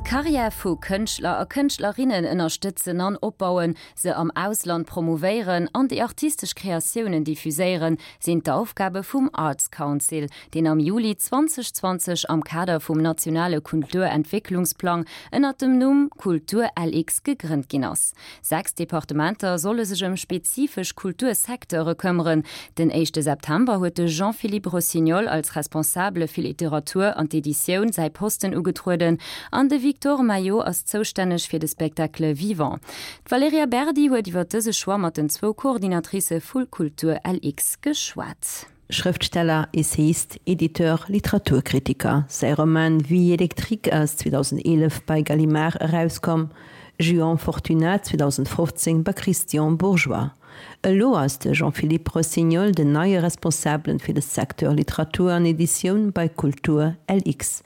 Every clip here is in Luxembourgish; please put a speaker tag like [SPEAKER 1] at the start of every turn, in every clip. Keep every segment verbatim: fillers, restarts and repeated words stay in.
[SPEAKER 1] D'Karriär vu Kënschtler a Kënschtlerinnen ënnerstëtzen an opbauen, se am Ausland promouvéieren an déi artistesch Kreatiounen diffuséieren, sinn d'Aufgabe vum Arts Council, deen am Juli zweedausendzwanzeg am Kader vum nationale Kulturentwécklungsplang ënnert dem Numm Kultur L X gegrënnt ginn ass. Sechs Departementer solle sech ëm spezifesch Kultursecteure këmmeren. Den éischte September huet de Jean-Philippe Rossignol als Responsabele fir Literatur an d'Editioun säi Posten ugetrueden an de Victor Maillot ass zoustänneg fir de Spectacle vivant. D'Valerija Berdi huet iwwer dëse Choix mat den zwou Coordinatricë vu Kultur L X geschwat.
[SPEAKER 2] Schrëftsteller, Essayist, Editeur, Literaturkritiker. Säi Roman Vie électrique ass zweedausendeelef bei Gallimard erauskomm, Juan Fortuna zweedausendfofzéng bei Christian Bourgeois. Elo ass de Jean-Philippe Rossignol den neie Responsabelen fir de Secteur Literatur an Editioun bei Kultur L X.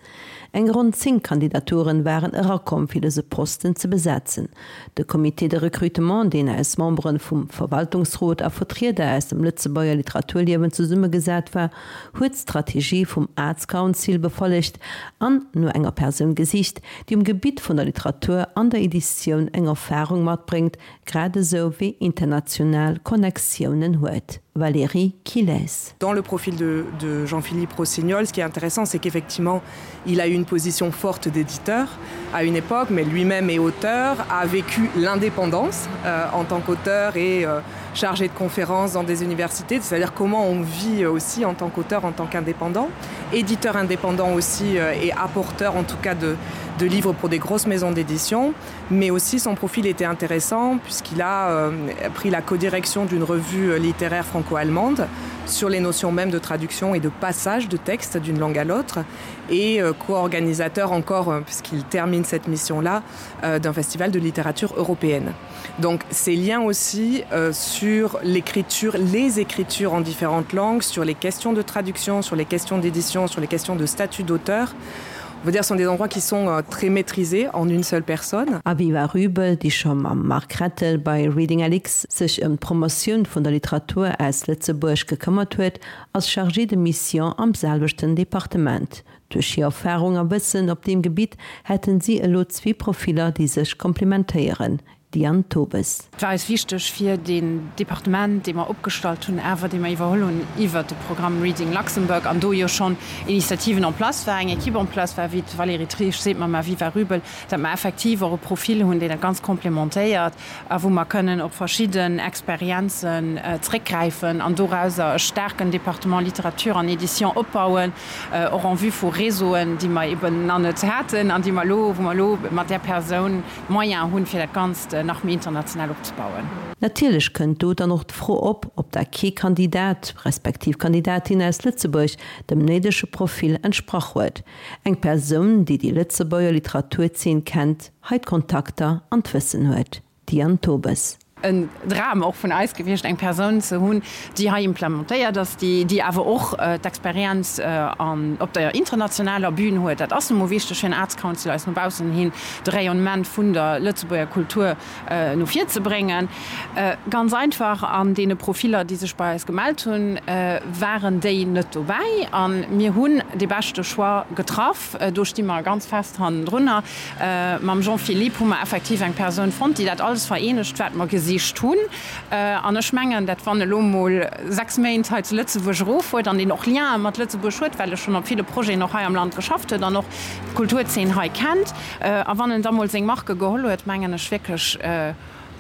[SPEAKER 2] Eng ronn zéng Kandidaturen waren erakomm fir dëse Posten ze besetzen. De Comité de recrutement, deen aus Memberen vum Verwaltungsrot a Vertrieder aus dem Lëtzebuerger Literaturliewen zesummegesat war, huet d'Strategie vum Arts Council befollegt an no enger Persoun gesicht, déi um Gebitt vun der Literatur an der Editioun eng Erfarung matbréngt, grad esou wéi international Connectiounen huet. Valérie Quilès.
[SPEAKER 3] Dans le profil de, de Jean-Philippe Rossignol, ce qui est intéressant, c'est qu'effectivement, il a eu une position forte d'éditeur à une époque, mais lui-même est auteur, a vécu l'indépendance euh, en tant qu'auteur et euh, chargé de conférences dans des universités, c'est-à-dire comment on vit aussi en tant qu'auteur, en tant qu'indépendant, éditeur indépendant aussi euh, et apporteur en tout cas de, de livres pour des grosses maisons d'édition, mais aussi son profil était intéressant puisqu'il a euh, pris la codirection d'une revue euh, littéraire franco-allemande sur les notions même de traduction et de passage de texte d'une langue à l'autre et euh, co-organisateur encore euh, puisqu'il termine cette mission là euh, d'un festival de littérature européenne. Donc ces liens aussi euh, sur l'écriture, les écritures en différentes langues, sur les questions de traduction, sur les questions d'édition, sur les questions de statut d'auteur, on veut dire sont des endroits qui sont euh, très maîtrisés en une seule personne.
[SPEAKER 2] Aviva Rubel, déi scho mam Marc Rettel bei Reading L X sech ëm d'Promotioun vun der Literatur aus Lëtzebuerg gekëmmert huet, ass Chargée de mission am selwechten Departement. Duerch hir Erfarung a Wëssen op deem Gebitt hätten si elo zwee Profiller, déi sech komplementéieren. Diane Tobes.
[SPEAKER 4] Et war eis wichteg fir den Departement, dee mer opgestallt hunn, awer dee mer iwwerholl hunn iwwer de Programm Reading Luxembourg an do jo schonn Initiativen en place war, eng Equipe en place war, wéi d'Valérie Triesch seet mam Aviva Rubel, datt mer effektiv och e Profil hunn, deen dat Ganzt komplementéiert a wou mer kënnen op verschidden Experienzen zréckgräifen an dorauser e staarken Departement Literature an Édition opbauen, och en vue vu Réseauen, déi mer eben nach net haten an déi mer elo, wou mer elo mat där Persoun d'Moyens hunn, fir dat Ganzt nach méi international opzebauen.
[SPEAKER 2] Natierlech kënnt do dann och d'Fro op, ob da kee Kandidat respektiv Kandidatin aus Lëtzebuerg dem néidege Profil entsprach huet. Eng Persoun, déi déi Lëtzebuerger Literaturzeen kennt, hei d'Kontakter an d'Wëssen huet. Diane Tobes.
[SPEAKER 4] En Dram och vun eis gewiescht, eng Persoun ze hunn, déi hei implementéiert ass, déi, déi awer och d'Experienz an op der internationaler Bühn huet. Dat ass nu mol wichteg fir en Arts Council, eis no baussen hin de Rayonnement vun der Lëtzebuerger Kultur no vir ze bréngen. Ganz einfach, an deene Profiller, déi sech bei eis gemellt hunn, waren déi net dobäi a mir hunn dee beschte Choix getraff. Do sti mer ganz fest hannendrunner. Mam Jean-Philippe hu mer effektiv eng Persoun fonnt, déi dat alles vereenegt, wat mer gesicht hunn. An ech mengen, dat wann elo mol sechs Méint hei zu Lëtzebuerg eroffuert an deen och Liene mat Lëtzebuerg huet, well e schonn op ville Projeten och hei am Land geschafft huet an och d'Kulturzeen hei kennt, a wann en da mol seng Marke geholl huet, mengen ech wierklech,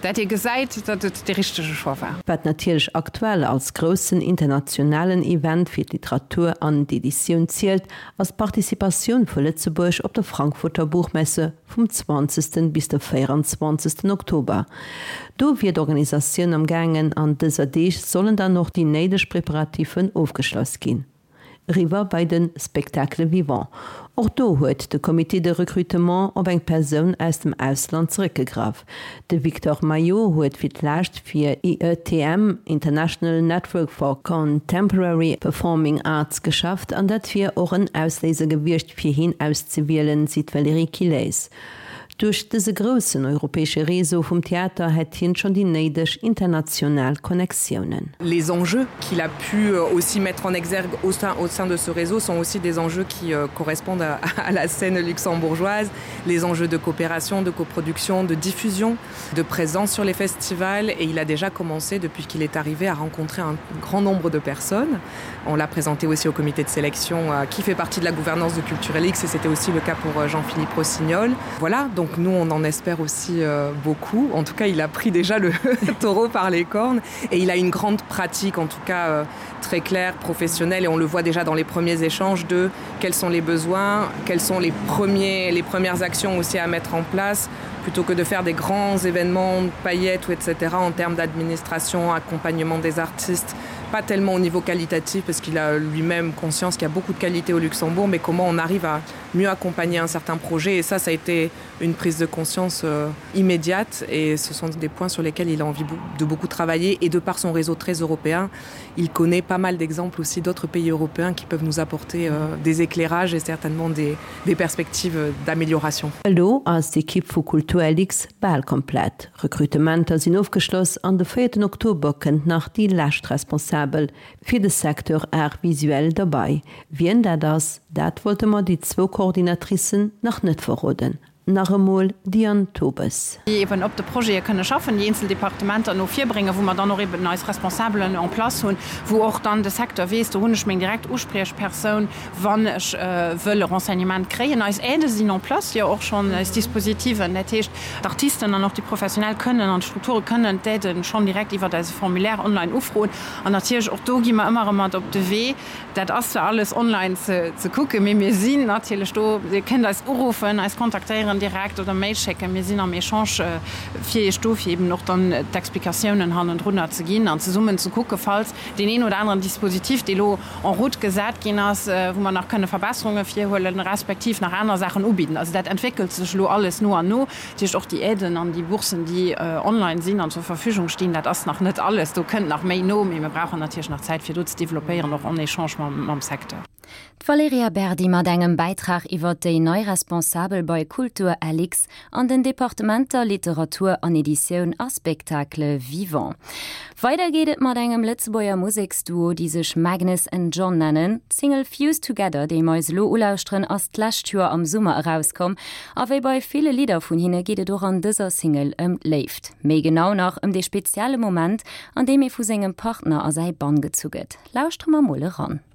[SPEAKER 4] dat ee gesäit, datt et dee richtege Choix war.
[SPEAKER 2] Wat natierlech aktuell als groussen internationalen Event fir d'Literatur an d'Editioun zielt, ass d'Participatioun vu Lëtzebuerg op der Frankfurter Buchmesse vum zwanzegsten bis de véieranzwanzegsten Oktober. Do wier d'Organisatioun am gaangen, an dëser Deeg sollen dann och déi néideg Preparativen ofgeschloss ginn. Eriwwer bei de Spectacle vivant. Och do huet de Comité de recrutement op eng Persoun aus dem Ausland zeréckgegraff. De Victor Maillot huet fir d'lescht fir I E T M, International Network for Contemporary Performing Arts, geschafft an dat wier och en Ausléiser gewiescht fir hien auszewielen, seet d'Valérie Quilès. Duerch dëse groussen europäesche Réseau vum Theater hätt hien schonn déi néideg international Connectiounen.
[SPEAKER 3] Les enjeux qu'il a pu aussi mettre en exergue au sein, au sein de ce réseau sont aussi des enjeux qui euh, correspondent à, à la scène luxembourgeoise, les enjeux de coopération, de coproduction, de diffusion, de présence sur les festivals et il a déjà commencé depuis qu'il est arrivé à rencontrer un grand nombre de personnes. On l'a présenté aussi au comité de sélection euh, qui fait partie de la gouvernance de Culturelix et c'était aussi le cas pour euh, Jean-Philippe Rossignol. Voilà, donc nous on en espère aussi euh, beaucoup. En tout cas, il a pris déjà le taureau par les cornes et il a une grande pratique en tout cas euh, très claire, professionnelle et on le voit déjà dans les premiers échanges de quels sont les besoins, quelles sont les premiers les premières actions aussi à mettre en place plutôt que de faire des grands événements paillettes ou etc en termes d'administration, accompagnement des artistes, pas tellement au niveau qualitatif parce qu'il a lui-même conscience qu'il y a beaucoup de qualité au Luxembourg, mais comment on arrive à mieux accompagner un certain projet et ça ça a été une prise de conscience euh, immédiate et ce sont des points sur lesquels il a envie de beaucoup travailler et de par son réseau très européen, il connaît pas mal d'exemples aussi d'autres pays européens qui peuvent nous apporter euh, des éclairages et certainement des, des perspectives d'amélioration.
[SPEAKER 2] Elo ass d'Ekipp vu Kulturlux bal komplett. Rekrutementer sinn ofgeschloss an de véierten Oktober kënnt nach déi lescht Responsabel fir de Secteur Arts visuels derbäi. Wien dat ass, dat wollte mer déi zwou Coordinatricen nach net verroden. Nach emol d'Diane Tobes.
[SPEAKER 4] Déi eben op de Projete kënne schaffen, déi eenzel Departementer no vir bréngen, wou mer dann och eben eis Responsabelen en place hunn, wou och dann de Secteur weess, do hunn ech meng direkt Uspriechpersoun, wann ech wëll e Renseignement kréien. Eis Aidë sinn en place, jo och schonn eis Dispositiven, dat heescht, d'Artisten an och déi Professionell kënnen an d'Strukture kënnen d'Aiden schonn direkt iwwert eise Formulaire online ufroen. An natierlech och do gi mer ëmmer erëm mat op de Wee, dat ass zwar alles online ze ze kucken, mee mir sinn natierlech do, Dir kënnt eis uruffen, eis kontaktéieren direkt oder Mail schécken, mir sinn am Echange fir Iech do, fir eben och dann d'Explikatiounen hannendrunner ze ginn an zesummen ze kucken, falls deen een oder aneren Dispositif, dee lo en route gesat ginn ass, wou mer nach kënne Verbesserunge virhuelen, respektiv nach aner Saachen ubidden. Also dat entwéckelt sech elo alles no an no. Dat heescht och déi Aiden an déi Boursen, déi online sinn an zur Verfügung stinn, dat ass nach net alles, do kënnt nach méi no, mee mir brauchen natierlech nach Zäit, fir do ze developpéieren, och en Echange mam Secteur.
[SPEAKER 1] D'Valerija Berdi mat engem Bäitrag iwwer déi nei Responsabel bei Kulturlux an den Departementer Literatur an Editioun a Spectacle vivant. Weider geet et mat engem Lëtzebuerger Museksduo, déi sech Magnus and John nennen. D'Single Fused Together, déi mer eis elo ulauschteren, ass d'lescht Joer am Summer erauskomm. A wéi bei ville Lidder vun hinne geet et och an dëser Single ëm d'Léift. Méi genau nach ëm dee spezielle Moment, an deem ee vu sengem Partner a säi Bann gezu gëtt. Lauschtere mer mol eran.